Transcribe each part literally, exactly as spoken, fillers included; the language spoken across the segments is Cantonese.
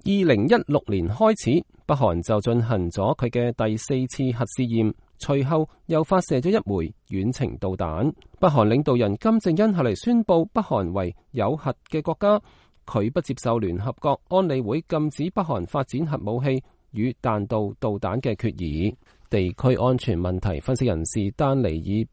二零一六年開始，北韓就進行咗佢嘅第四次核試驗，隨後又發射咗一枚遠程導彈。北韓領導人金正恩後嚟宣布北韓為有核嘅國家，佢不接受聯合國安理會禁止北韓發展核武器與彈道導彈嘅決議。地區安全問題分析人士丹尼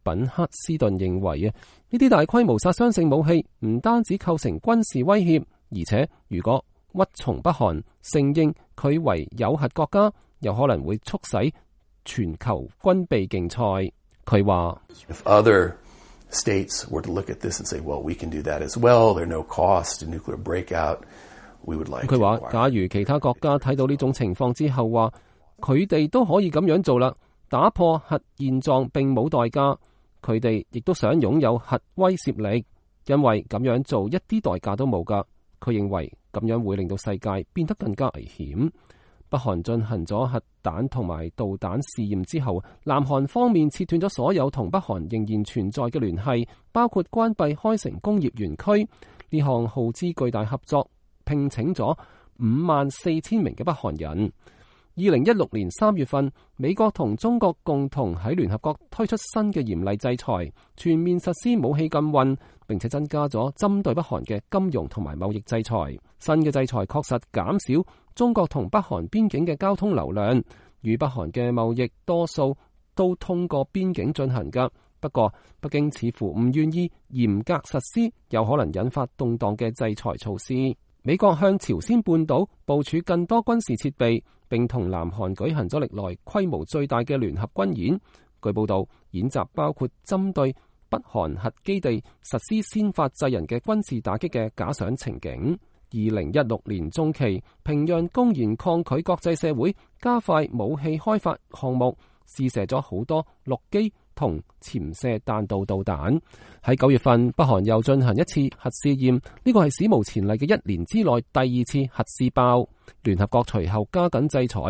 爾品克斯頓認為啊，呢啲大規模殺傷性武器唔單止構成軍事威脅，而且如果屈從北韓承認佢為有核國家，有可能會促使全球軍備競賽。佢話If other states were to look at this and say, well, we can do that as well, there are no costs to nuclear breakout, we would like to. 佢話假如其他國家睇到呢種情況之後話，佢哋都可以咁樣做啦，打破核現狀並冇代價，佢哋亦都想擁有核威懾力，因為咁樣做一啲代價都冇噶。佢認為咁樣會令到世界變得更加危險。北韓進行咗核彈同埋導彈試驗之後，南韓方面切斷咗所有同北韓仍然存在嘅聯繫，包括關閉開城工業園區。呢項耗資巨大合作聘請咗五萬四千名嘅北韓人。二零一六年三月份，美國同中國共同喺聯合國推出新嘅嚴厲制裁，全面實施武器禁運，並且增加咗針對北韓嘅金融同埋貿易制裁。新嘅制裁確實減少中國同北韓邊境嘅交通流量，與北韓嘅貿易多數都通過邊境進行㗎。不過，北京似乎唔願意嚴格實施有可能引發動盪嘅制裁措施。美國向朝鮮半島部署更多軍事設備，並同南韓舉行咗歷來規模最大嘅聯合軍演。據報道，演習包括針對北韓核基地實施先發制人嘅軍事打擊嘅假想情景。二零一六年中期，平壤公然抗拒國際社會加快武器開發項目，試射咗好多陸基同潛射彈道導彈。喺九月份，北韓又進行一次核試驗，呢個係史無前例嘅一年之內第二次核試爆。聯合國隨後加緊制裁。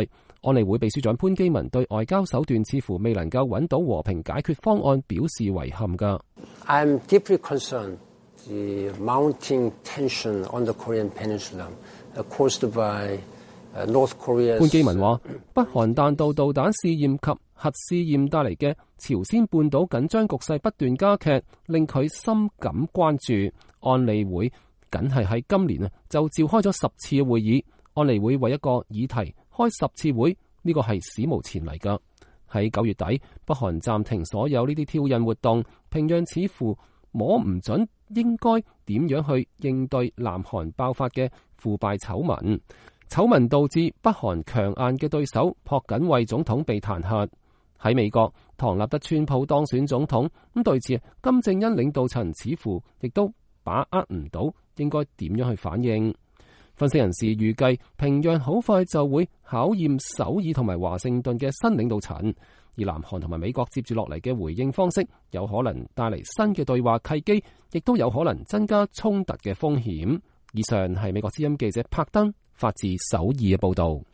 安理會秘書長潘基文對外交手段似乎未能夠揾到和平解決方案表示遺憾㗎。I'm deeply concerned the mounting tension on the Korean Peninsula caused by North Korea。潘基文話，北韓彈道導彈試驗及核試驗帶嚟嘅朝鮮半島緊張局勢不斷加劇，令佢深感關注。安理會僅係喺今年啊就召開咗十次嘅會議。安理會為一個議題開十次會，呢個係史無前例噶。喺九月底，北韓暫停所有呢啲挑釁活動，平壤似乎摸唔準應該點樣去應對南韓爆發嘅腐敗醜聞。醜聞導致北韓強硬嘅對手朴槿惠總統被彈劾。喺美國，唐納德川普當選總統，咁對此金正恩領導層似乎亦都把握唔到應該點樣去反應。分析人士預計，平壤好快就會考驗首爾同埋華盛頓嘅新領導層，而南韓同埋美國接住落嚟嘅回應方式，有可能帶嚟新嘅對話契機，亦都有可能增加衝突嘅風險。以上係美國之音記者柏登發自首爾嘅報道。